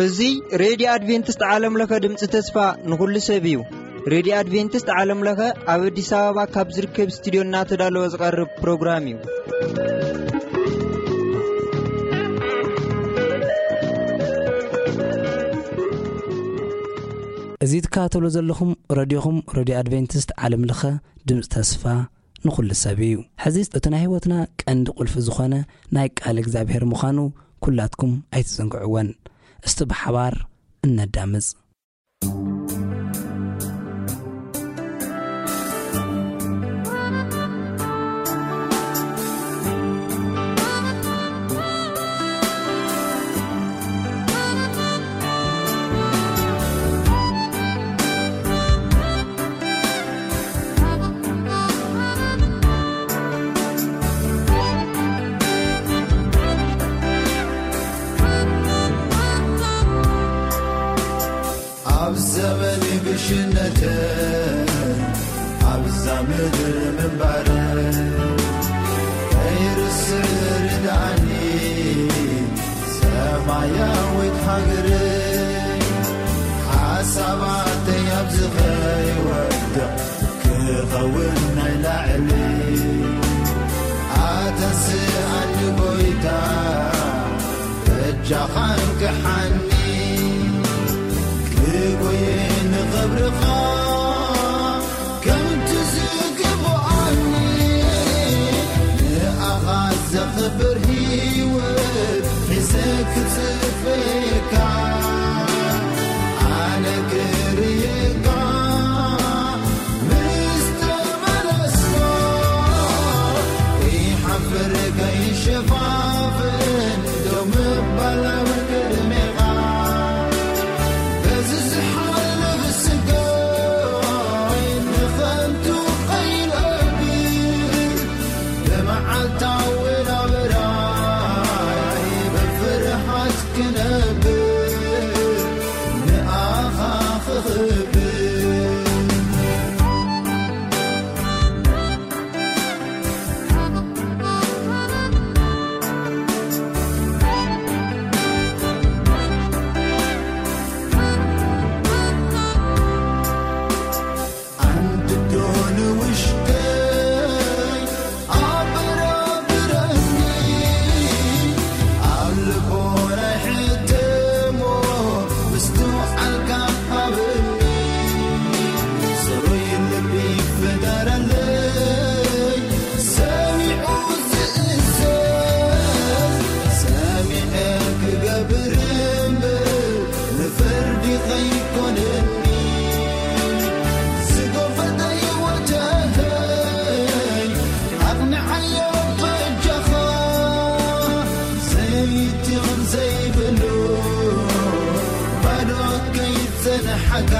እዚ ሬድዮ ኣድቬንቲስት ዓለም ለኸ ድምፂ ተስፋ ንኹሉ ሰብ እዩ። ሬድዮ ኣድቬንቲስት ዓለም ለኸ ኣብ ኣዲስ ኣበባ ካብ ዝርከብ ስቱዲዮ እናተዳለወ ዝቐርብ ፕሮግራም እዩ። እዚ ትከታተሉ ዘለኹም ረድዮኹም፣ ረድዮ ኣድቬንቲስት ዓለም ለኸ ድምፂ ተስፋ ንኹሉ ሰብ እዩ። ሕዚ እቲ ናይ ህይወትና ቀንዲ ቁልፊ ዝኾነ ናይ ቃል እግዚኣብሔር ምዃኑ ኩላትኩም ኣይትዘንግዕወን። እስቲ ብሓባር እነዳምፅ። ኣብ ዘመን ግሽነትን ኣብዛ ምድር ምንባርን ከይርስዕ ርድኣኒ ሰማያዊት ሃገር። ሓሳባተይ ኣብዚ ከይወድቕ ክኸውን ናይ ላዕሊ ኣተንስኣኒ ጎይታ በጃኻ እንቅሓኒ። ክጎየ ንኽብርኻ ከምቲ ዝግብኣኒ ንኣኻ ዘኽብር ህይወት ሒዘ ክጽበየካ ኣነ ክርእየካ ምስ ተመለስካ ከይሓፍር ከይሸፋፍን ደው ምባል ኣብ ቅድሜኻ በዚ ዝሓልፍ ስጋይ ንኸንቱ ከይነብር ብመዓልታዊ ናብራይ ብፍርሃት ክነብር ንኣኻ ክኽብር። ኣንድዶ ንውሽጠይ ኣበራብረኒ፣ ኣብ ልቦናይ ሕተሞ፣ ምስትውዓልካ ሃበኒ። ጽሩይ ልቢ ፍጠረለይ፣ ሰሚዑ ዝእዘዝ፣ ሰሚዐ ክገብር እምበር፣ ንፍርዲ ኸይኮነኒ ዝጎፈጠ ህይወተይ ኣቕንዓዮ በጃኻ። ዘይቲ ኸም ዘይብሉ ባዶ ከይጸንሓካ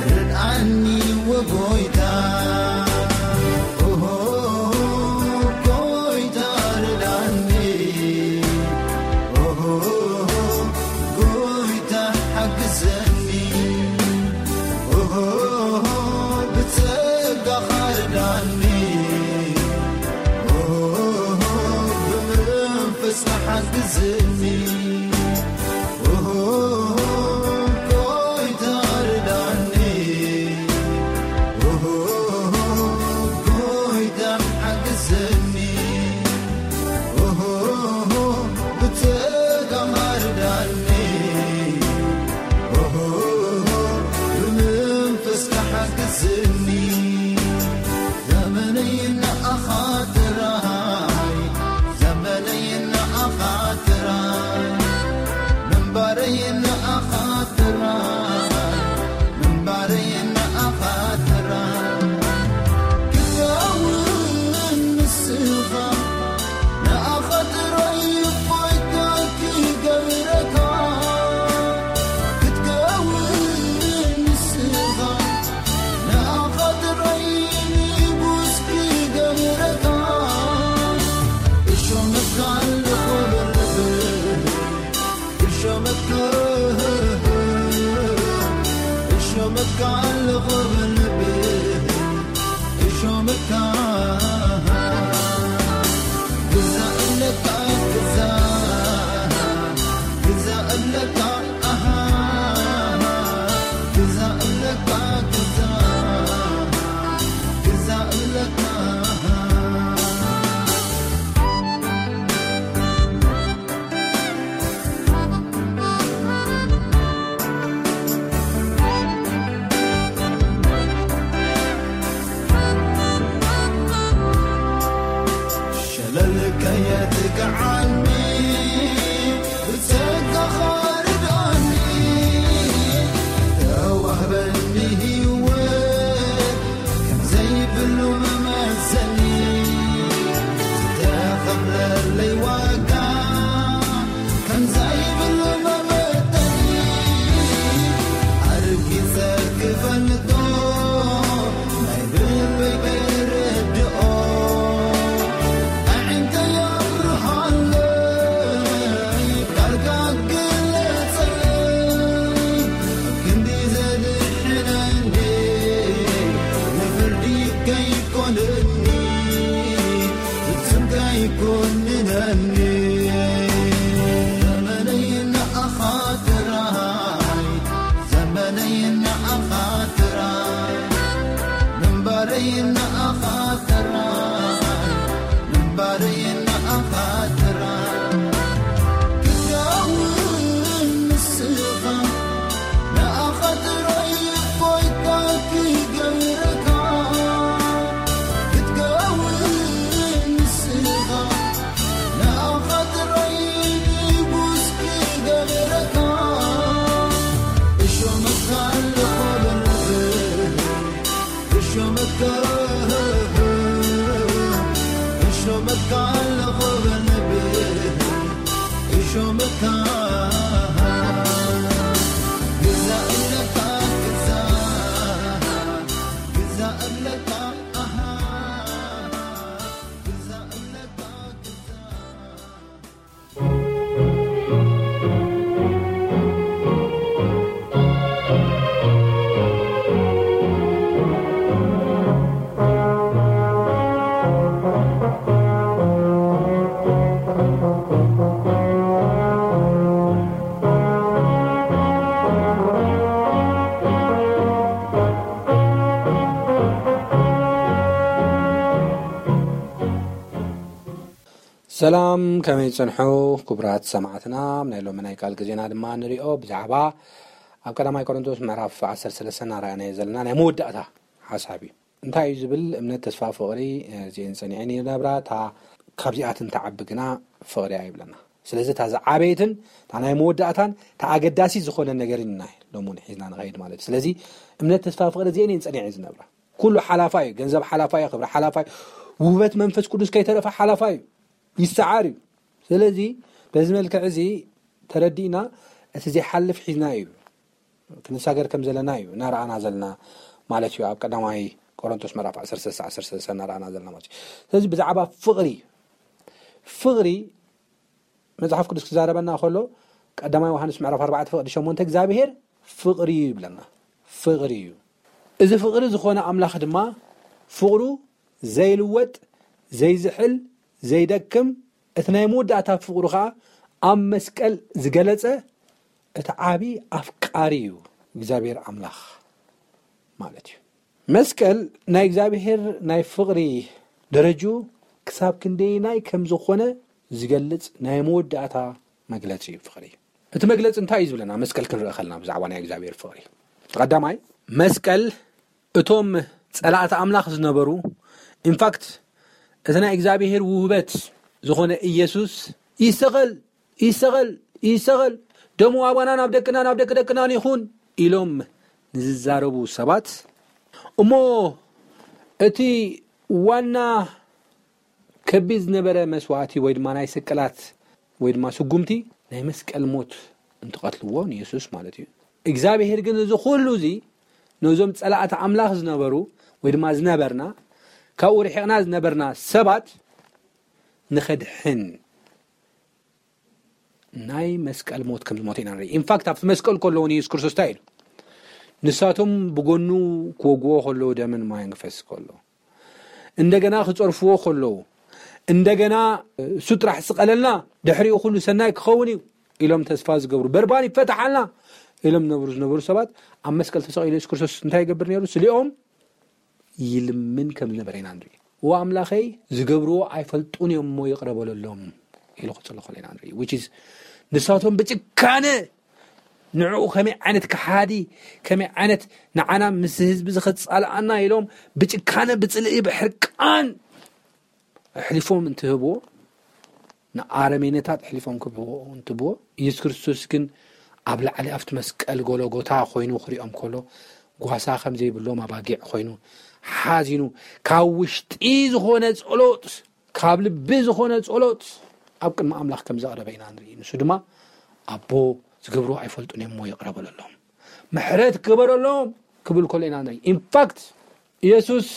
ርድኣኒ ወጎይታ። ኦሆ፣ ጎይታ ርዳኒ። ኦሆ፣ ጎይታ ሓግዘኒ። ኦሆ፣ ብጸጋኻ ርዳኒ። ኦሆ፣ ብመንፈስካ ሓግዘኒ። ኦሆ፣ ጎይታ ርዳኒ። ኦሆ፣ ጎይታ ሓግዘኒ። ኦሆ፣ ብጸጋኻ ርዳኒ። ኦሆ፣ ብመንፈስካ ሓግዘኒ። ዘመነይ ንኣኻ ጥራይ፣ ዘመነይ ንኣኻ ጥራይ፣ ምንባረይ ንኣኻ ጥራይ፣ ምንባረይ ንኣኻ ጥራይ። ክኸውን ንስኻ ንኣኻ ጥራይ እፎይታ ክገብረካ። ክትከውን ንስኻ ንኣኻ ጥራይ ንጉስ ክገብረካ። እሾመካ ኣለኹ በልብህ፣ እሾመካ፣ እሾመካ ኣለኹ በልብህ። ሾመካ ግዛእ ኣለካ፣ ግዛእ፣ ግዛእ ኣለካ፣ ኣሃ፣ ግዛእ ኣለካ፣ ግዛእ፣ ግዛእ ኣለካ፣ ኣሃ። ሸለል ከየትግዓኒ ብጸጋኻ ርድኣኒ፣ ተዋህበኒ ህይወት ከም ዘይብሉ መመዘኒ፣ ዝተኸፍለለይ ዋጋ ከም ዘይብሉ መመዘኒ፣ ኣርጊጸ ክፈልጦ ናይ ልበይ ክርድኦ፣ ኣዒንተይ ኣብርሃለይ፣ ቃልካ ግለጸለይ፣ ኣብ ክንዲ ዘድሕነኒ፣ ንፍርዲ ከይኮነኒ፣ ፍጹም ከይኮንነኒ። ዘመነይ ንኣኻ ጥራይ፣ ዘመነይ ንኣኻ ጥራይ፣ ምንባረይ ንኣኻ ጥራይ፣ ምንባረይ ንኣኻ ጥራይ። ክትከውን ንስኻ ንኣኻ ጥራይ ጎይታ ክገብረካ፣ ክትከውን ንስኻ፣ ንኣኻ ጥራይ ንጉስ ክገብረካ። እሾመካ ኣለኹ በል፣ እሾመካ፣ እሾመካ ኣለኹ በል፣ እሾመካ ግዛእ ኣለካ፣ ግዛእ፣ ግዛእ ኣለካ፣ ኣሃ፣ ግዛእ ኣለካ፣ ግዛእ። ሰላም፣ ከመይ ትጸንሑ ክቡራት ሰማዕትና? ናይ ሎሚ ናይ ቃል ግዜና ድማ ንሪኦ ብዛዕባ ኣብ ቀዳማይ ቆሮንቶስ ምዕራፍ ዓሰርተ ሰለስተ እናረኣናዮ ዘለና ናይ መወዳእታ ሓሳብ እዩ። እንታይ እዩ ዝብል? እምነት፣ ተስፋ፣ ፍቕሪ፣ እዚኤን ጸኒዐን ይነብራ፣ እታ ካብዚኣትን ትዓቢ ግና ፍቕሪ እያ ይብለና። ስለዚ እታ ዝዓበየትን እታ ናይ መወዳእታን እታ ኣገዳሲ ዝኾነ ነገር ኢና ሎሚ እውን ሒዝና ንኸይድ ማለት እዩ። ስለዚ እምነት፣ ተስፋ፣ ፍቕሪ እዚኤን እየን ጸኒዐን ዝነብራ። ኩሉ ሓላፋ እዩ። ገንዘብ ሓላፋ እዩ። ክብሪ ሓላፋ እዩ። ውህበት መንፈስ ቅዱስ ከይተረፈ ሓላፋ እዩ። ይሰዓር እዩ። ስለዚ በዚ መልክዕ እዚ ተረዲእና እቲ ዘይሓልፍ ሒዝና እዩ ክንሳገር ከም ዘለና እዩ እናረኣና ዘለና ማለት እዩ። ኣብ ቀዳማይ ቆሮንቶስ ምዕራፍ ዓሰርተ ሰለስተ፣ ዓሰርተ ሰለስተ እናረኣና ዘለና ማለት እዩ። ስለዚ ብዛዕባ ፍቕሪ፣ ፍቕሪ መጽሓፍ ቅዱስ ክዛረበና ከሎ ቀዳማይ ዮሃንስ ምዕራፍ ኣርባዕተ ፍቕዲ ሸሞንተ እግዚኣብሔር ፍቕሪ እዩ ይብለና። ፍቕሪ እዩ። እዚ ፍቕሪ ዝኾነ ኣምላኽ ድማ ፍቕሩ ዘይልወጥ፣ ዘይዝሕል፣ ዘይደክም፣ እቲ ናይ መወዳእታ ፍቕሩ ኸኣ ኣብ መስቀል ዝገለጸ እቲ ዓቢ ኣፍቃሪ እዩ እግዚኣብሔር ኣምላኽ ማለት እዩ። መስቀል ናይ እግዚኣብሔር ናይ ፍቕሪ ደረጅኡ ክሳብ ክንደየናይ ከም ዝኾነ ዝገልጽ ናይ መወዳእታ መግለጺ እዩ ፍቕሪ። እቲ መግለጺ እንታይ እዩ ዝብለና? መስቀል ክንርኢ ከለና ብዛዕባ ናይ እግዚኣብሔር ፍቕሪ፣ ቀዳማይ መስቀል እቶም ጸላእቲ ኣምላኽ ዝነበሩ፣ ኢንፋክት እቲ ናይ እግዚኣብሔር ውህበት ዝኾነ ኢየሱስ ይሰቐል፣ ይሰቐል፣ ይሰቐል፣ ደሙ ኣባና ናብ ደቅና ናብ ደቂ ደቅናን ይኹን ኢሎም ንዝዛረቡ ሰባት፣ እሞ እቲ ዋና ከቢድ ዝነበረ መስዋእቲ ወይ ድማ ናይ ስቅላት ወይ ድማ ስጉምቲ ናይ መስቀል ሞት እንትቐትልዎ ንየሱስ ማለት እዩ። እግዚኣብሔር ግን እዚ ኩሉ እዚ ነዞም ጸላእቲ ኣምላኽ ዝነበሩ ወይ ድማ ዝነበርና ካብኡ ርሒቕና ዝነበርና ሰባት ንኸድሕን ናይ መስቀል ሞት ከም ዝሞተ ኢና ንርኢ። ኢንፋክት ኣብቲ መስቀል ከለዉ ንየሱስ ክርስቶስ እንታይ ኢሉ? ንሳቶም ብጎኑ ክወግዎ ከለዉ ደምን ማይን ክፈስ ከሎ እንደገና ክጸርፍዎ ከለዉ፣ እንደገና እሱ ጥራሕ ስቐለልና፣ ድሕሪኡ ኩሉ ሰናይ ክኸውን እዩ ኢሎም ተስፋ ዝገብሩ፣ በርባን ይፈታሓልና ኢሎም ዝነብሩ ዝነበሩ ሰባት፣ ኣብ መስቀል ተሰቒሉ የሱስ ክርስቶስ እንታይ ይገብር ነይሩ? ስሊኦም ይልምን ከም ዝነበረ ኢና ንርኢ። "እወ ኣምላኸይ፣ ዝገብርዎ ኣይፈልጡን እዮም እሞ ይቕረ በለሎም" ኢሉ ክጽሊ ከሎ ኢና ንርኢ። Which is ንሳቶም ብጭካነ ንዕኡ ከመይ ዓይነት ከሓዲ፣ ከመይ ዓይነት ንዓና ምስ ህዝቢ ዝኸጻልኣና ኢሎም ብጭካነ፣ ብጽልኢ፣ ብሕርቃን ኣሕሊፎም እንትህብዎ፣ ንኣረሜነታት ኣሕሊፎም ክህብዎ እንትብዎ፣ ኢየሱስ ክርስቶስ ግን ኣብ ላዕሊ ኣብቲ መስቀል ጎሎጎታ ኮይኑ ክሪኦም ከሎ፣ ጓሳ ከም ዘይብሎም ኣባጊዕ ኮይኑ ሓዚኑ፣ ካብ ውሽጢ ዝኾነ ጸሎት፣ ካብ ልቢ ዝኾነ ጸሎት ኣብ ቅድሚ ኣምላኽ ከም ዘቕረበ ኢና ንርኢ። ንሱ ድማ፣ "ኣቦ፣ ዝገብርዎ ኣይፈልጡን እዮም እሞ ይቕረ በለሎም፣ ምሕረት ግበረሎም" ክብል ከሎ ኢና ንርኢ። ኢንፋክት፣ ኢየሱስ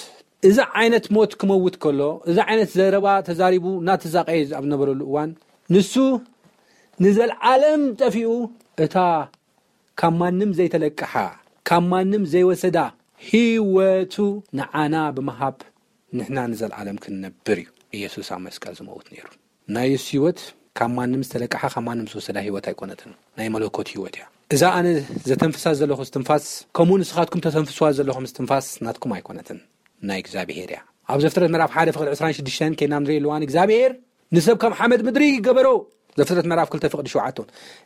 እዚ ዓይነት ሞት ክመውት ከሎ፣ እዚ ዓይነት ዘረባ ተዛሪቡ እናተዛቐየ ኣብ ነበረሉ እዋን፣ ንሱ ንዘለዓለም ጠፊኡ፣ እታ ካብ ማንም ዘይተለቅሓ፣ ካብ ማንም ዘይወሰዳ ህይወቱ ንዓና ብምሃብ፣ ንሕና ንዘለዓለም ክንነብር እዩ ኢየሱስ ኣብ መስቀል ዝመውት ነይሩ። ናይ የሱስ ህይወት ካብ ማንም ዝተለቅሓ፣ ካብ ማንም ዝተወሰዳ ህይወት ኣይኮነትን። ናይ መለኮት ህይወት እያ። እዛ ኣነ ዘተንፍሳ ዘለኹ እስትንፋስ፣ ከምኡ ንስኻትኩም ተተንፍስዋ ዘለኹም እስትንፋስ ናትኩም ኣይኮነትን፣ ናይ እግዚኣብሄር እያ። ኣብ ዘፍጥረት ምዕራፍ ሓደ ፍቕዲ ዕስራን ሽዱሽተን ከይና ንርኢ ኣለዋን እግዚኣብሄር ንሰብ ካብ ሓመድ ምድሪ ገበሮ። ዘፍጥረት ምዕራፍ ክልተ ፍቕዲ ሸውዓተ።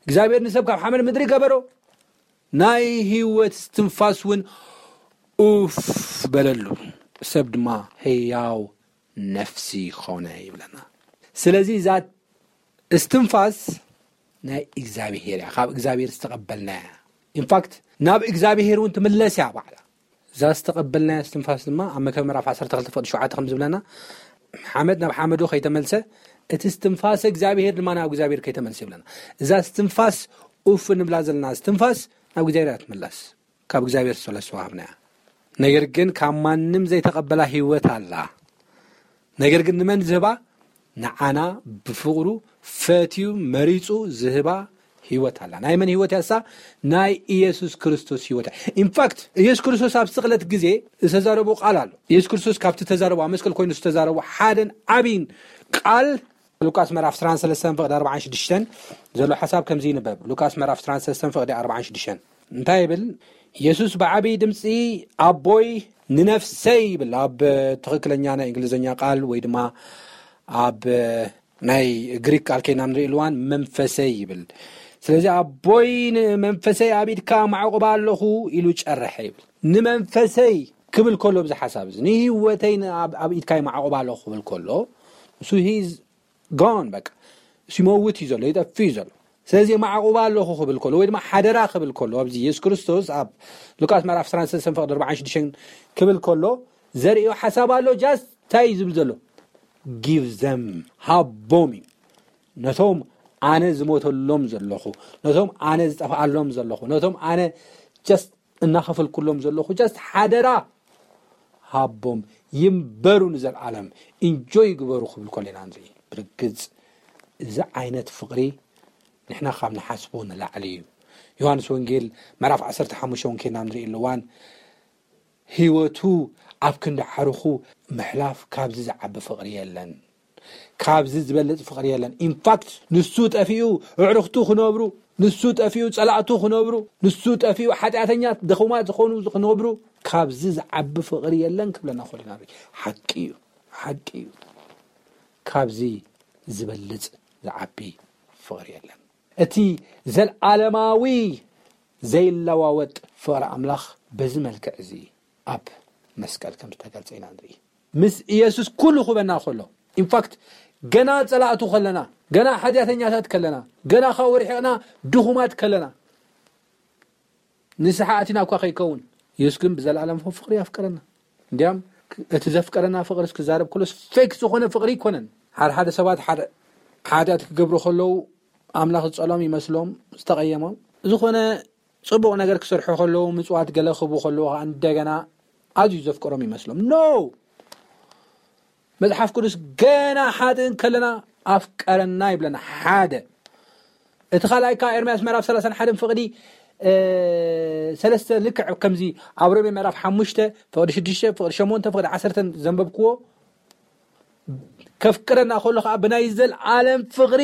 እግዚኣብሄር ንሰብ ካብ ሓመድ ምድሪ ገበሮ። ናይ ህይወት እስትንፋስ እውን ኡፍ በለሉ። ሰብ ድማ ህያው ነፍሲ ኾነ ይብለና። ስለዚ እዛ እስትንፋስ ናይ እግዚኣብሄር እያ፣ ካብ እግዚኣብሄር ዝተቐበልናያ። ኢንፋክት፣ ናብ እግዚኣብሄር እውን ትምለስ እያ ባዕላ። እዛ ዝተቐበልናያ እስትንፋስ ድማ ኣብ መክብብ ምዕራፍ ዓሰርተ ክልተ ፍቕዲ ሸውዓተ ከም ዝብለና፣ ሓመድ ናብ ሓመዱ ከይተመልሰ፣ እቲ እስትንፋስ እግዚኣብሄር ድማ ናብ እግዚኣብሄር ከይተመልሰ ይብለና። እዛ እስትንፋስ ኡፍ እንብላ ዘለና እስትንፋስ ናብ እግዚኣብሄር እያ ትምለስ። ካብ እግዚኣብሄር ዝተወለስ ወሃብና እያ። ነገር ግን ካብ ማንም ዘይተቐበላ ህይወት ኣላ። ነገር ግን ንመን ዝህባ? ንዓና ብፍቕሩ ፈትዩ መሪጹ ዝህባ ህይወት ኣላ። ናይ መን ህይወት እያ እሳ? ናይ ኢየሱስ ክርስቶስ ህይወት እያ። ኢንፋክት፣ ኢየሱስ ክርስቶስ ኣብ ስቕለት ግዜ ዝተዛረቦ ቃል ኣሎ። ኢየሱስ ክርስቶስ ካብቲ ተዛረቦ፣ ኣብ መስቀል ኮይኑ ዝተዛረቦ ሓደን ዓብይን ቃል፣ ሉቃስ ምዕራፍ ዕስራን ሰለስተን ፍቕዲ ኣርባዓን ሽዱሽተን ዘሎ ሓሳብ ከምዚ ይንበብ። ሉቃስ ምዕራፍ ዕስራን ሰለስተን ፍቕዲ ኣርባዓን ሽዱሽተን እንታይ ይብል? ኢየሱስ ብዓብዪ ድምፂ፣ "ኣቦይ፣ ንነፍሰይ" ይብል። ኣብ ትኽክለኛ ናይ እንግሊዝኛ ቃል ወይ ድማ ኣብ ናይ ግሪክ ቃል ከይና ንርኢ ኣለዋን፣ "መንፈሰይ" ይብል። ስለዚ፣ "ኣቦይ፣ ንመንፈሰይ ኣብ ኢድካ ማዕቑባ ኣለኹ" ኢሉ ጨረሐ ይብል። "ንመንፈሰይ" ክብል ከሎ፣ ኣብዚ ሓሳብ እዚ፣ "ንህይወተይ ን-፣ ኣብ፣ ኣብ ኢድካ ማዕቑባ ኣለኹ" ክብል ከሎ፣ ንሱ ሂዝ ጎን፣ በቃ፣ እሱ ይመውት እዩ ዘሎ፣ ይጠፍእ እዩ ዘሎ። ስለዚ፣ "ማዕቑባ ኣለኹ" ክብል ከሎ፣ ወይ ድማ "ሓደራ" ክብል ከሎ፣ ኣብዚ ኢየሱስ ክርስቶስ ኣብ ሉቃስ ምዕራፍ ዕስራን ሰለስተን ፍቕዲ ኣርባዓን ሽዱሽተን ክብል ከሎ፣ ዘርእዮ ሓሳብ ኣሎ። ጃስት እንታይ እዩ ዝብል ዘሎ? "ጊቭ ዘም"፣ ሃቦም እዩ። ነቶም ኣነ ዝሞተሎም ዘለኹ፣ ነቶም ኣነ ዝጠፍኣሎም ዘለኹ፣ ነቶም ኣነ ጀስት እናኸፈልኩሎም ዘለኹ፣ ጀስት ሓደራ ሃቦም፣ ይንበሩ ንዘለዓለም፣ ኢንጆይ ይግበሩ ክብል ከሎ ኢና ንርኢ። ብርግጽ፣ እዚ ዓይነት ፍቕሪ ንሕና ካብ ንሓስቦ ንላዕሊ እዩ። ዮሃንስ ወንጌል ምዕራፍ ዓሰርተ ሓሙሽተ እውን ከይና ንርኢ ኣለዋን፣ ህይወቱ ኣብ ክንዲ ዓርኹ ምሕላፍ፣ ካብዚ ዝዓቢ ፍቕሪ የለን። ካብዚ ዝበልጽ ፍቕሪ የለን። ኢንፋክት፣ ንሱ ጠፊኡ ኣዕሩኽቱ ክነብሩ፣ ንሱ ጠፊኡ ጸላእቱ ክነብሩ፣ ንሱ ጠፊኡ ሓጢኣተኛት ድኹማት ዝኾኑ ክነብሩ፣ ካብዚ ዝዓቢ ፍቕሪ የለን ክብለና ከሎ ኢና ንርኢ። ሓቂ እዩ፣ ሓቂ እዩ። ካብዚ ዝበልጽ ዝዓቢ ፍቕሪ የለን። እቲ ዘልዓለማዊ ዘይለዋወጥ ፍቕሪ ኣምላኽ በዚ መልክዕ እዚ ኣብ መስቀል ከም ዝተገልጸ ኢና ንርኢ። ምስ ኢየሱስ ኩሉ ክበና ከሎ፣ ኢንፋክት፣ ገና ጸላእቱ ከለና፣ ገና ሓጢኣተኛታት ከለና፣ ገና ካብኡ ርሒቕና ድኹማት ከለና፣ ንስሓ ኣቲና እኳ ከይከውን፣ ኢየሱስ ግን ብዘለኣለም ፍቕሪ ኣፍቀረና። እንዲያም፣ እቲ ዘፍቀረና ፍቕሪ ክዛረብ ከሎስ ፌክ ዝኾነ ፍቕሪ ኣይኮነን። ሓደ ሓደ ሰባት ሓደ ሓጢኣት ክገብሩ ከለዉ፣ ኣምላኽ ዝጸልኦም ይመስሎም፣ ዝተቐየሞም። ዝኾነ ጽቡቕ ነገር ክሰርሑ ከለዉ፣ ምጽዋት ገለ ክህቡ ከለዉ ከኣ እንደገና ኣዝዩ ዘፍቅሮም ይመስሎም። ኖ! መጽሓፍ ቅዱስ ገና ሓጥእ ከለና ኣፍቀረና ይብለና። ሓደ። እቲ ካልኣይ ከኣ ኤርምያስ ምዕራፍ ሰላሳን ሓደን ፍቕዲ፣ እ፣ ሰለስተ፣ ልክዕ ከምዚ ኣብ ሮሜ ምዕራፍ ሓሙሽተ ፍቕዲ ሽዱሽተ፣ ፍቕዲ ሸሞንተ፣ ፍቕዲ ዓሰርተን ዘንበብክዎ፣ ከፍቅረና ከሎ ከዓ ብናይ ዘልዓለም ፍቕሪ፣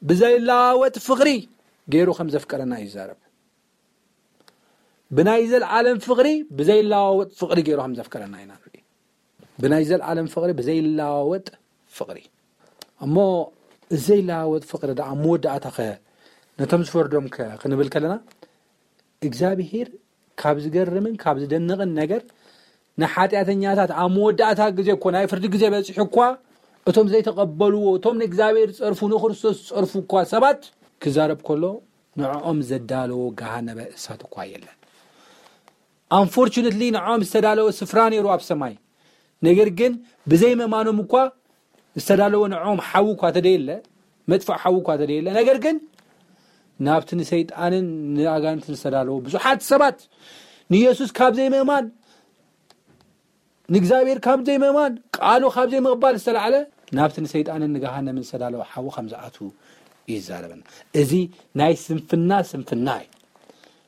ብዘይለዋወጥ ፍቕሪ ገይሩ ከም ዘፍቀረና ይዛረብ። ብናይ ዘልዓለም ፍቕሪ፣ ብዘይለዋወጥ ፍቕሪ ገይሩ ከም ዘፍቀረና ኢና ንርኢ። ብናይ ዘልዓለም ፍቕሪ፣ ብዘይለዋወጥ ፍቕሪ። እሞ ዘይለዋወጥ ፍቕሪ ደኣ መወዳእታ ኸ ነቶም ዝፈርዶም ከ ክንብል ከለና፣ እግዚኣብሄር ካብ ዝገርምን ካብ ዝደንቕን ነገር ንሓጢኣተኛታት ኣብ መወዳእታ ግዜ እኮ፣ ናይ ፍርዲ ግዜ በፂሑ እኳ፣ እቶም ዘይተቐበልዎ፣ እቶም ንእግዚኣብሔር ዝጸርፉ፣ ንክርስቶስ ዝጸርፉ እኳ ሰባት ክዛረብ ከሎ፣ ንዕኦም ዘዳለዎ ገሃነመ እሳት እኳ የለን። Unfortunately ንዕኦም ዝተዳለወ ስፍራ ነይሩ ኣብ ሰማይ። ነገር ግን ብዘይ ምእማኖም እኳ ዝተዳለወ ንዕኦም ሓዊ እኳ ተደየለ፣ መጥፍእ ሓዊ እኳ ተደየለ፣ ነገር ግን ናብቲ ንሰይጣንን ንኣጋንንትን ዝተዳለወ ብዙሓት ሰባት ንኢየሱስ ካብ ዘይምእማን፣ ንእግዚኣብሔር ካብ ዘይምእማን፣ ቃሉ ካብ ዘይምቕባል ዝተላዕለ ናብቲ ንሰይጣንን ንገሃነምን ዝተዳለወ ሓዊ ከም ዝኣትዉ እዩ ዝዛረበና። እዚ ናይ ስንፍና ስንፍና እዩ።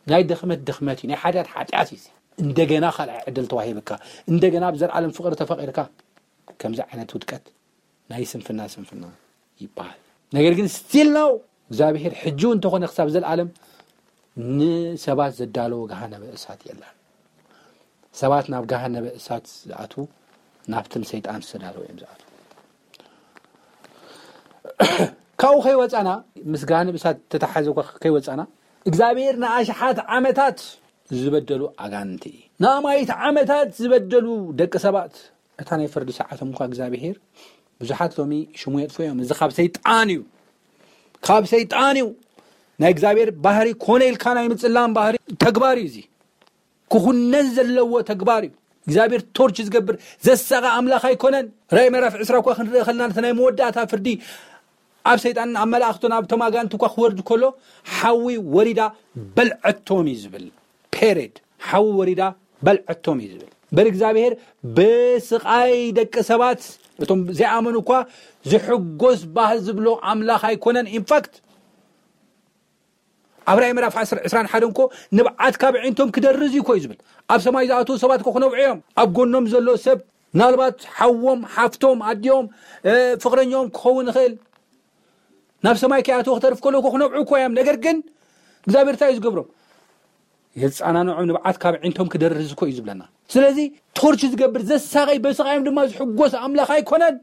ናይ ድኽመት ድኽመት እዩ። ናይ ሓጢኣት ሓጢኣት እዩ። እዚ እንደገና ካልኣይ ዕድል ተዋሂብካ፣ እንደገና ብዘለዓለም ፍቕሪ ተፈቒርካ፣ ከምዚ ዓይነት ውድቀት ናይ ስንፍና ስንፍና ይበሃል። ነገር ግን still now እግዚኣብሔር ሕጂ እውን እንተኾነ ክሳብ ዘለዓለም ንሰባት ዘዳለዎ ገሃነመ እሳት የለን። ሰባት ናብ ገሃነመ እሳት ዝኣትዉ ናብቲ ንሰይጣን ዝተዳለወ እዮም ዝኣትዉ። ካብኡ ከይወፃና፣ ምስ ገሃነመ እሳት ተተሓዘ እኳ ከይወፃና፣ እግዚኣብሔር ንኣሽሓት ዓመታት ዝበደሉ ኣጋንንቲ፣ ንኣማኢት ዓመታት ዝበደሉ ደቂ ሰባት፣ እታ ናይ ፍርዲ ሰዓቶም እኳ እግዚኣብሔር፣ ብዙሓት ሎሚ ሽሙ የጥፍኡ እዮም። እዚ ካብ ሰይጣን እዩ፣ ካብ ሰይጣን እዩ። ናይ እግዚኣብሔር ባህሪ ኮነ ኢልካ ናይ ምጽላም ባህሪ ተግባር እዩ። እዚ ክኹነን ዘለዎ ተግባር እዩ። እግዚኣብሔር ቶርች ዝገብር ዘሳቐ ኣምላኽ ኣይኮነን። ራእይ ምዕራፍ ዕስራ እኳ ክንርኢ ከለና፣ ነቲ ናይ መወዳእታ ፍርዲ ኣብ ሰይጣንን ኣብ መላእኽቱን ኣብቶም ኣጋንንቲ እኳ ክወርድ ከሎ፣ ሓዊ ወሪዳ በልዐቶም እዩ ዝብል። ፔሬድ። ሓዊ ወሪዳ በልዐቶም እዩ ዝብል። እምበር እግዚኣብሔር ብስቓይ ደቂ ሰባት፣ እቶም ዘይኣመኑ እኳ ዝሕጎስ ባህ ዝብሎ ኣምላኽ ኣይኮነን። ኢንፋክት ኣብ ራእይ ምዕራፍ ዕስራን ሓደን እኮ ንብዓት ካብ ኣዒንቶም ክደርዝ እዩ እኮ እዩ ዝብል። ኣብ ሰማይ ዝኣትዉ ሰባት እኮ ክነብዑ እዮም። ኣብ ጎኖም ዘሎ ሰብ፣ ምናልባት ሓዎም፣ ሓፍቶም፣ ኣዲኦም፣ እ፣ ፍቕረኛኦም ክኸውን ይኽእል። ናብ ሰማይ ከይኣተወ ክተርፍ ከሎ እኮ ክነብዑ እኮ እዮም። ነገር ግን እግዚኣብሔር እንታይ እዩ ዝገብሮም? የጻናንዖም፣ ንብዓት ካብ ኣዒንቶም ክደርዝ እኮ እዩ ዝብለና። ስለዚ ቶርች ዝገብር፣ ዘሳቐይ፣ በስቓዮም ድማ ዝሕጎስ ኣምላኽ ኣይኮነን።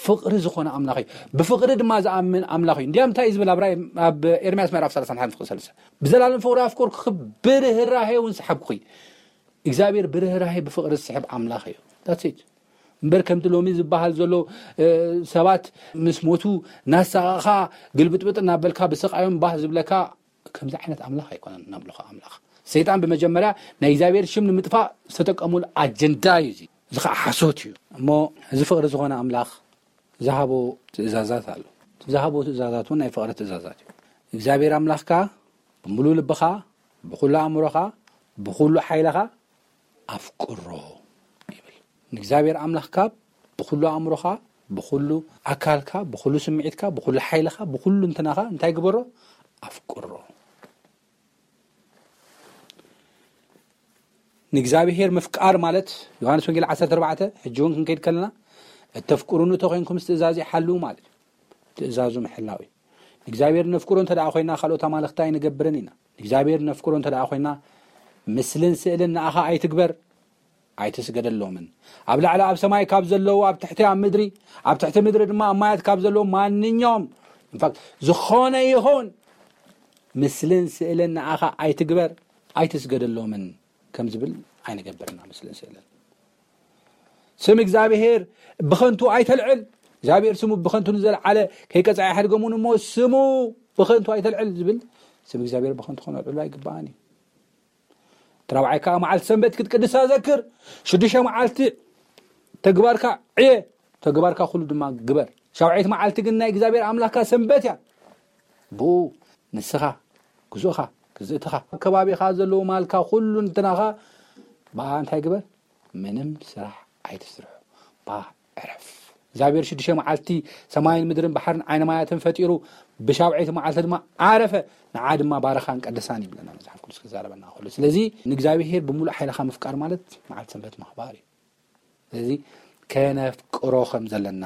ፍቕሪ ዝኾነ ኣምላኽ እዩ። ብፍቕሪ ድማ ዝኣምን ኣምላኽ እዩ። እንዲያም እንታይ እዩ ዝብል? ኣብ ራእይ፣ ኣብ ኤርምያስ ምዕራፍ ሰላሳን ሓደን ፍቕሪ ሰለስተ፣ "ብዘላለም ፍቕሪ ኣፍቀርኩኺ፣ ብርህራሄ እውን ሰሓብኩኺ።" እግዚኣብሔር ብርህራሄ ብፍቕሪ ዝስሕብ ኣምላኽ እዩ። That's it። እምበር ከምቲ ሎሚ ዝበሃል ዘሎ፣ እ፣ ሰባት ምስ ሞቱ እናሳቐኻ ግልብጥብጥ እናበልካ ብስቓዮም ባህ ዝብለካ፣ ከምዚ ዓይነት ኣምላኽ ኣይኮነን ነምልኾ ኣምላኽ። ሰይጣን ብመጀመርያ ናይ እግዚኣብሔር ሽም ንምጥፋእ ዝተጠቀሙሉ ኣጀንዳ እዩ እዚ። እዚ ከዓ ሓሶት እዩ። እሞ እዚ ፍቕሪ ዝኾነ ኣምላኽ ዝሃቦ ትእዛዛት ኣሎ። ዝሃቦ ትእዛዛት እውን ናይ ፍቕሪ ትእዛዛት እዩ። እግዚኣብሔር ኣምላኽካ ብምሉእ ልብኻ፣ ብኹሉ ኣእምሮኻ፣ ብኹሉ ሓይልኻ ኣፍቅሮ ይብል። ንእግዚኣብሔር ኣምላኽካ ብኹሉ ኣእምሮኻ፣ ብኹሉ ኣካልካ፣ ብኹሉ ስምዒትካ፣ ብኹሉ ሓይልኻ፣ ብኹሉ እንትናኻ እንታይ ግበሮ? ኣፍቅሮ። ንእግዚኣብሔር ምፍቃር ማለት፣ ዮሃንስ ወንጌል ዓሰርተ ኣርባዕተ፣ ሕጂ እውን ክንከይድ ከለና፣ "እተፍቅሩኒ እንተኾይንኩም ትእዛዘይ ሓልዉ" ማለት እዩ። ትእዛዙ ምሕላው እዩ። ንእግዚኣብሔር ነፍቅሮ እንተ ደኣ ኮይና፣ ካልኦት ኣማልኽቲ ኣይንገብርን ኢና። ንእግዚኣብሔር ነፍቅሮ እንተ ደኣ ኮይና፣ ምስልን ስእልን ንኣኻ ኣይትግበር፣ ኣይትስገደሎምን። ኣብ ላዕሊ ኣብ ሰማይ ካብ ዘለዉ፣ ኣብ ትሕቲ ኣብ ምድሪ፣ ኣብ ትሕቲ ምድሪ ድማ ኣብ ማያት ካብ ዘለዉ ማንኛውም፣ ኢንፋክት፣ ዝኾነ ይኹን ምስልን ስእልን ንኣኻ ኣይትግበር፣ ኣይትስገደሎምን ከም ዝብል ኣይንገብርና ምስልን ስእልን። ስም እግዚኣብሔር ብኸንቱ ኣይተልዕል። እግዚኣብሔር ስሙ ብኸንቱ ንዘልዓለ ከይቀጽዓ ኣይሓድገሙን እሞ ስሙ ብኸንቱ ኣይተልዕል ዝብል ስም እግዚኣብሔር ብኸንቱ ከነልዕሎ ኣይግባእን እዩ። እቲ ራብዓይ ከኣ መዓልቲ ሰንበት ክትቅድሳ ዘክር። ሽዱሽተ መዓልቲ ተግባርካ ዕየ፣ ተግባርካ ኩሉ ድማ ግበር። ሻውዓይቲ መዓልቲ ግን ናይ እግዚኣብሔር ኣምላኽካ ሰንበት እያ። ብኡ ንስኻ፣ ግዙእኻ፣ ግዝእትኻ፣ ኣብ ከባቢኻ ዘለዉ ማልካ፣ ኩሉ እንትናኻ ብኣ እንታይ ግበር? ምንም ስራሕ ኣይትስርሑ። ብኣ ዕረፍ። እግዚኣብሔር ሽዱሽተ መዓልቲ ሰማይን ምድርን ባሕርን ዓይነ ማያትን ፈጢሩ፣ ብሻውዓይቲ መዓልቲ ድማ ዓረፈ። ንዓ ድማ ባረኻን ቀደሳን ይብለና መጽሓፍ ቅዱስ ክዛረበና ከሎ። ስለዚ ንእግዚኣብሔር ብምሉእ ሓይልኻ ምፍቃር ማለት መዓልቲ ሰንበት ምኽባር እዩ። ስለዚ ከነፍቅሮ ከም ዘለና፣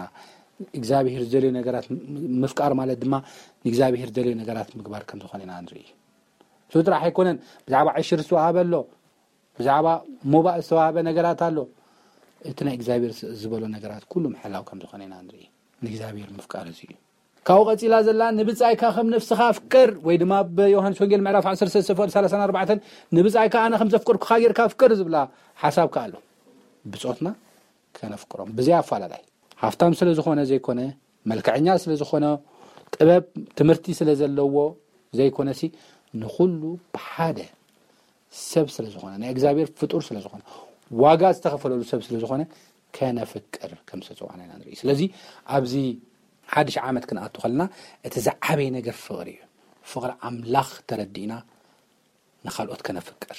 እግዚኣብሔር ዝደልዮ ነገራት ምፍቃር ማለት ድማ ንእግዚኣብሔር ዝደልዮ ነገራት ምግባር ከም ዝኾነ ኢና ንርኢ። እሱ ጥራሕ ኣይኮነን። ብዛዕባ ዕሽር ዝተዋሃበ ኣሎ፣ ብዛዕባ ሞባእ ዝተዋሃበ ነገራት ኣሎ። እቲ ናይ እግዚኣብሔር ዝበሎ ነገራት ኩሉ ምሕላው ከም ዝኾነ ኢና ንርኢ። ንእግዚኣብሔር ምፍቃር እዚ እዩ። ካብኡ ቀጺላ ዘላ ንብጻይካ ከም ነፍስኻ ኣፍቅር፣ ወይ ድማ ኣብ ዮሃንስ ወንጌል ምዕራፍ ዓሰርተ ሰለስተ ፍቕዲ ሰላሳን ኣርባዕተን ንብጻይካ ኣነ ከም ዘፍቅርኩኻ ጌርካ ኣፍቅር ዝብላ ሓሳብ ከኣ ኣሎ። ብጾትና ከነፍቅሮም ብዘይ ኣፋላላይ፣ ሃፍታም ስለ ዝኾነ ዘይኮነ፣ መልክዐኛ ስለ ዝኾነ፣ ጥበብ ትምህርቲ ስለ ዘለዎ ዘይኮነሲ፣ ንኹሉ ብሓደ ሰብ ስለ ዝኾነ፣ ናይ እግዚኣብሔር ፍጡር ስለ ዝኾነ፣ ዋጋ ዝተኸፈለሉ ሰብ ስለ ዝኾነ፣ ከነፍቅር ከም ዝተፅዋዕና ኢና ንርኢ። ስለዚ ኣብዚ ሓድሽ ዓመት ክንኣቱ ከለና እቲ ዝዓበየ ነገር ፍቕሪ እዩ። ፍቕሪ ኣምላኽ ተረዲእና ንኻልኦት ከነፍቅር፣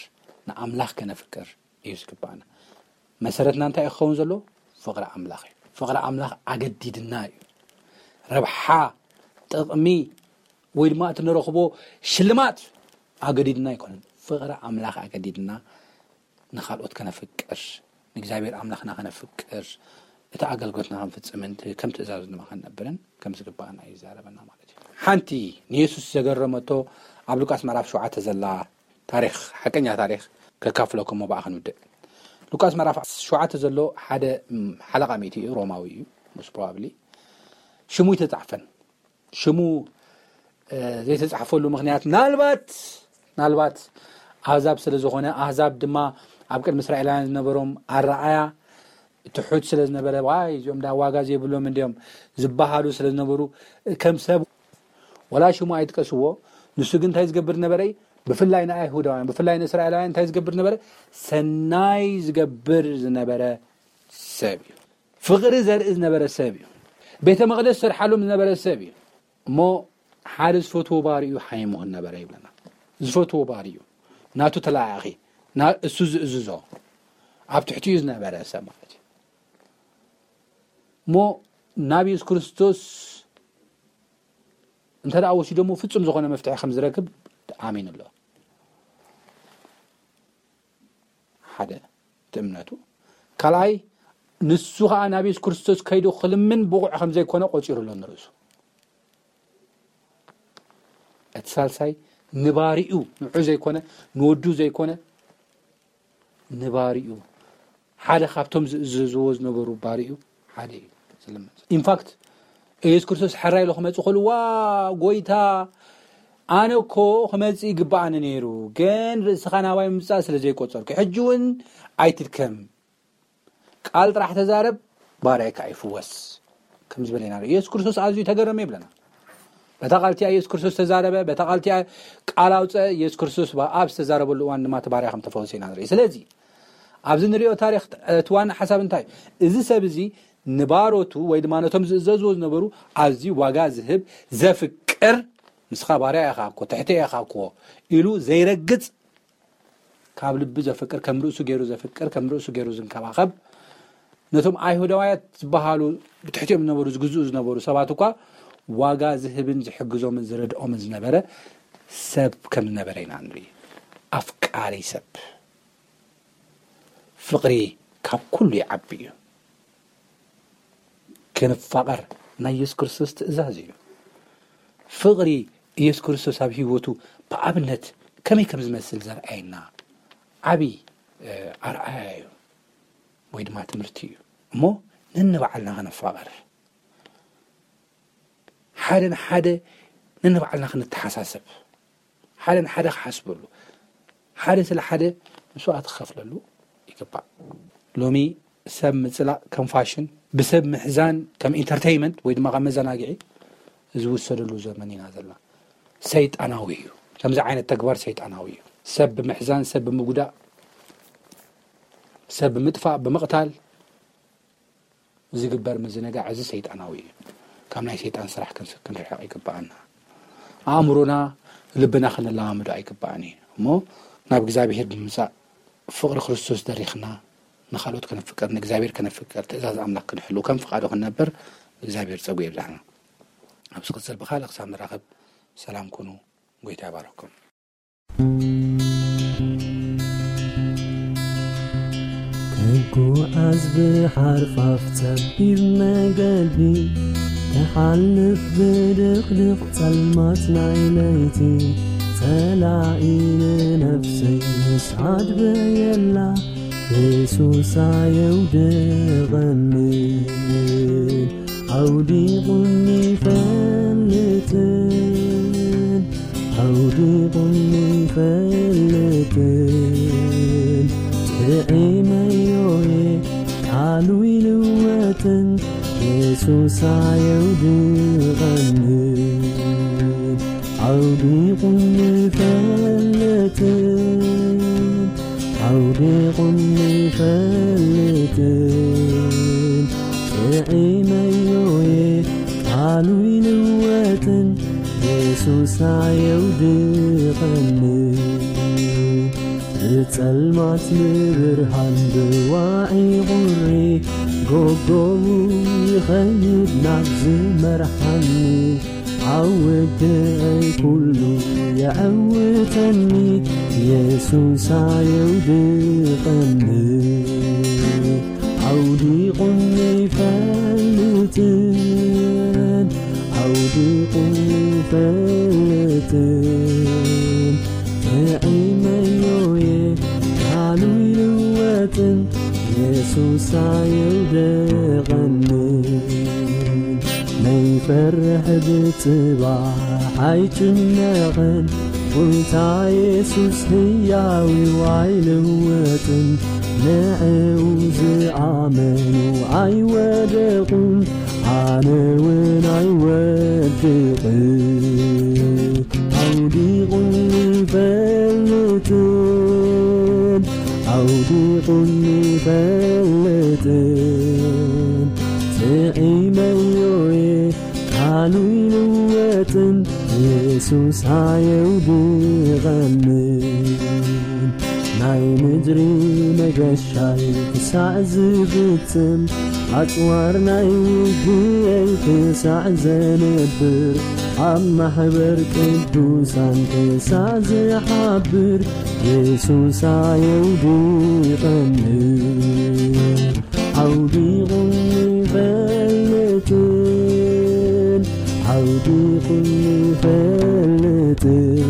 ንኣምላኽ ከነፍቅር እዩ ዝግባኣና። መሰረትና እንታይ እዩ ክኸውን ዘለዎ? ፍቕሪ ኣምላኽ እዩ። ፍቕሪ ኣምላኽ ኣገዲድና እዩ። ረብሓ፣ ጥቕሚ፣ ወይ ድማ እቲ ንረኽቦ ሽልማት ኣገዲድና ኣይኮነን። ፍቕሪ ኣምላኽ ኣገዲድና ንኻልኦት ከነፍቅር፣ ንእግዚኣብሔር ኣምላኽና ከነፍቅር፣ እቲ ኣገልግሎትና ክንፍጽምን እቲ ከም ትእዛዙ ድማ ክንነብርን ከም ዝግባኣና እዩ ዝዛረበና ማለት እዩ። ሓንቲ ንየሱስ ዘገረመቶ ኣብ ሉቃስ ምዕራፍ ሸውዓተ ዘላ ታሪኽ፣ ሓቀኛ ታሪኽ ከካፍለኩም እሞ ብኣ ክንውድእ። ሉቃስ ምዕራፍ ሸውዓተ ዘሎ ሓደ፣ ም፣ ሓለቓ ሚእቲ እዩ፣ ሮማዊ እዩ፣ most probably። ሽሙ ኣይተጻሕፈን። ሽሙ፣ እ፣ ዘይተጻሕፈሉ ምኽንያት ምናልባት፣ ምናልባት ኣህዛብ ስለ ዝኾነ፣ ኣህዛብ ድማ ኣብ ቅድሚ እስራኤላውያን ዝነበሮም ኣረኣያ ትሑት ስለ ዝነበረ፣ "ዋይ፣ እዚኦም ዳ ዋጋ ዘይብሎም እንዲዮም" ዝበሃሉ ስለ ዝነበሩ፣ ከም ሰብ ወላ ሽሙ ኣይጥቀስዎ። ንሱ ግን እንታይ ዝገብር ነበረ? ብፍላይ ንኣይሁዳውያን፣ ብፍላይ ንእስራኤላውያን እንታይ ዝገብር ነበረ? ሰናይ ዝገብር ዝነበረ ሰብ እዩ። ፍቕሪ ዘርኢ ዝነበረ ሰብ እዩ። ቤተ መቕደስ ዝሰርሓሎም ዝነበረ ሰብ እዩ። እሞ ሓደ ዝፈትዎ ባሪኡ ሓይሙ ነበረ ይብለና። ዝፈትዎ ባሪኡ፣ ናቱ ተለኣኣኺ፣ ና-፣ እሱ ዝእዝዞ፣ ኣብ ትሕቲኡ ዝነበረ ሰብ ማለት እዩ። እሞ ናብ የሱስ ክርስቶስ እንተ ደኣ ወሲዶሞ ፍጹም ዝኾነ መፍትሒ ከም ዝረክብ ኣሚኑ ኣሎ። ሓደ፣ እቲ እምነቱ። ካልኣይ፣ ንሱ ኸኣ ናብ የሱስ ክርስቶስ ከይዱ ክልምን ብቑዕ ከም ዘይኮነ ቆጺሩ ኣሎ ንርእሱ። እቲ ሳልሳይ፣ ንባሪኡ፣ ንዑ ዘይኮነ፣ ንወዱ ዘይኮነ፣ ንባሪኡ፣ ሓደ ካብቶም ዝእዘዝዎ ዝነበሩ ባሪኡ ሓደ እዩ ዝልምን። ኢንፋክት፣ ኢየሱስ ክርስቶስ ሕራይ ኢሉ ክመጽእ ከሎ፣ "ዋ፣ ጎይታ፣ ኣነ እኮ ክመጽእ ይግብኣኒ ነይሩ፣ ግን ርእስኻ ናባይ ምምጻእ ስለ ዘይቆጸርኩ፣ ሕጂ እውን ኣይትድከም፣ ቃል ጥራሕ ተዛረብ፣ ባርያይ ከኣ ይፍወስ" ከም ዝበለ ኢና ንርኢ። ኢየሱስ ክርስቶስ ኣዝዩ ተገረመ ይብለና። በታ ቃል እቲኣ ኢየሱስ ክርስቶስ ተዛረበ፣ በታ ቃል እቲኣ ቃል ኣውፀ። ኢየሱስ ክርስቶስ ኣብ ዝተዛረበሉ እዋን ድማ እቲ ባርያ ከም ተፈወሰ ኢና ንርኢ። ስለዚ ኣብዚ ንሪኦ ታሪኽ እቲ ዋና ሓሳብ እንታይ እዩ? እዚ ሰብ እዚ ንባሮቱ ወይ ድማ ነቶም ዝእዘዝዎ ዝነበሩ ኣዝዩ ዋጋ ዝህብ፣ ዘፍቅር፣ "ንስኻ ባርያ ኢኻ እኮ፣ ትሕተ ኢኻ እኮ" ኢሉ ዘይረግጽ፣ ካብ ልቢ ዘፍቅር፣ ከም ርእሱ ገይሩ ዘፍቅር፣ ከም ርእሱ ገይሩ ዝንከባኸብ፣ ነቶም ኣይሁዳውያት ዝበሃሉ ብትሕቲኦም ዝነበሩ፣ ዝግዝኡ ዝነበሩ ሰባት እኳ ዋጋ ዝህብን ዝሕግዞምን ዝረድኦምን ዝነበረ ሰብ ከም ዝነበረ ኢና ንርኢ። ኣፍቃሪ ሰብ። ፍቕሪ ካብ ኩሉ ይዓቢ እዩ። ክንፋቐር ናይ የሱስ ክርስቶስ ትእዛዝ እዩ። ፍቕሪ የሱስ ክርስቶስ ኣብ ህይወቱ ብኣብነት ከመይ ከም ዝመስል ዘርኣየና ዓቢ፣ እ፣ ኣርኣያ እዩ፣ ወይ ድማ ትምህርቲ እዩ። እሞ ነንባዕልና ከነፋቐር፣ ሓደ ንሓደ ነንባዕልና ክንተሓሳሰብ፣ ሓደ ንሓደ ክሓስበሉ፣ ሓደ ስለ ሓደ መስዋእቲ ክኸፍለሉ ይግባእ። ሎሚ ሰብ ምጽላእ ከም ፋሽን፣ ብሰብ ምሕዛን ከም ኢንተርቴይንመንት ወይ ድማ ከም መዘናግዒ ዝውሰደሉ ዘመን ኢና ዘለና። ሰይጣናዊ እዩ። ከምዚ ዓይነት ተግባር ሰይጣናዊ እዩ። ሰብ ብምሕዛን፣ ሰብ ብምጉዳእ፣ ሰብ ብምጥፋእ፣ ብምቕታል ዝግበር ምዝንጋዕ እዚ ሰይጣናዊ እዩ። ካብ ናይ ሰይጣን ስራሕ ክንስ-፣ ክንርሕቕ ይግብኣና። ኣእምሮና፣ ልብና ክንለማምዶ ኣይግብኣን እዩ። እሞ ናብ እግዚኣብሄር ብምምጻእ ፍቕሪ ክርስቶስ ደሪኽና ንኻልኦት ከነፍቅር፣ ንእግዚኣብሄር ከነፍቅር፣ ትእዛዝ ኣምላኽ ክንሕሉ፣ ከም ፍቓዱ ክንነብር እግዚኣብሄር ጸጉ የብዛሕና። ኣብ ዝቕጽል ብኻልእ ክሳብ ንራኸብ ሰላም ኩኑ። ጎይታ ይባርኽኩም። ጉዓዝ ብሓርፋፍ ጸቢብ መገዲ፣ ተሓልፍ ብድቕድቕ ጸልማት ናይ ለይቲ፣ ጸላኢ ንነፍሰይ ምስ ኣድበየላ፣ የሱስ ኣየውድቐንን፣ ኣውዲቑኒ ይፈልጥን፣ ኣውዲቑኒ ይፈልጥን፣ ጥዒመዮ እየ ቃሉ ይልወጥን፣ የሱስ ኣየውድቐንን፣ ኣውዲቑኒ ይፈልጥን፣ ኣውዲቑኒ ይፈልጥን፣ ጥዒመዮ እየ ቃሉ ይልወጥን፣ የሱስ ኣየውድቐንን። ብጸልማት ንብርሃን ብዋዒ ቁሪ፣ ጎጎቡ ይኸይድ ናብ ዝመርሓኒ፣ ኣብ ውድቐይ ኩሉ የዕውተኒ፣ የሱስ ኣየውድቐኒ፣ ኣውዲቑኒ ይፈልጥን፣ ኣውዲቑኒ ይፈልጥን፣ ጥዒመዮ እየ ቃሉ ይልወጥን፣ የሱስ ኣየውድቐንን። ነይፈርሕ ብጽባሕ ኣይጭነቕን፣ ጎይታ የሱስ ህያው እዩ ኣይልወጥን፣ ንዕኡ ዝኣመኑ ኣይወደቑን፣ ኣነ እውን ኣይወድቕን። ኣውዲቑኒ ይፈልጥን፣ ኣውዲቑኒ ይፈልጥን፣ ጥዒመዮ እየ ቃሉ ይልወጥን፣ የሱስ ኣየውድቐንን። ናይ ምድሪ መገሻይ ክሳዕ ዝፍጽም፣ ኣጽዋር ናይ ውግየይ ክሳዕ ዘንብር፣ ኣብ ማሕበር ቅዱሳን ክሳዕ ዝሓብር፣ የሱስ ኣየውድቐንን፣ ኣውዲቑኒ ይፈልጥን፣ ኣውዲቑኒ ይፈልጥን፣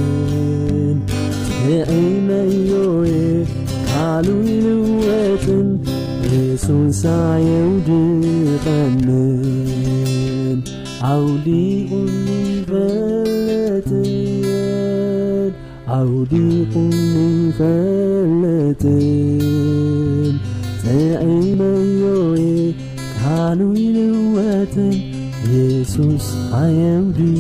ጥዒመዮ እየ ቃሉ ይልወጥን፣ የሱስ ኣየውድቐንን፣ ኣውዲቑኒ ይፈልጥን፣ ኣውዲቑኒ ይፈልጥን፣ ጥዒመዮ እየ ቃሉ ይልወጥን፣ የሱስ ኣየውድቐንን።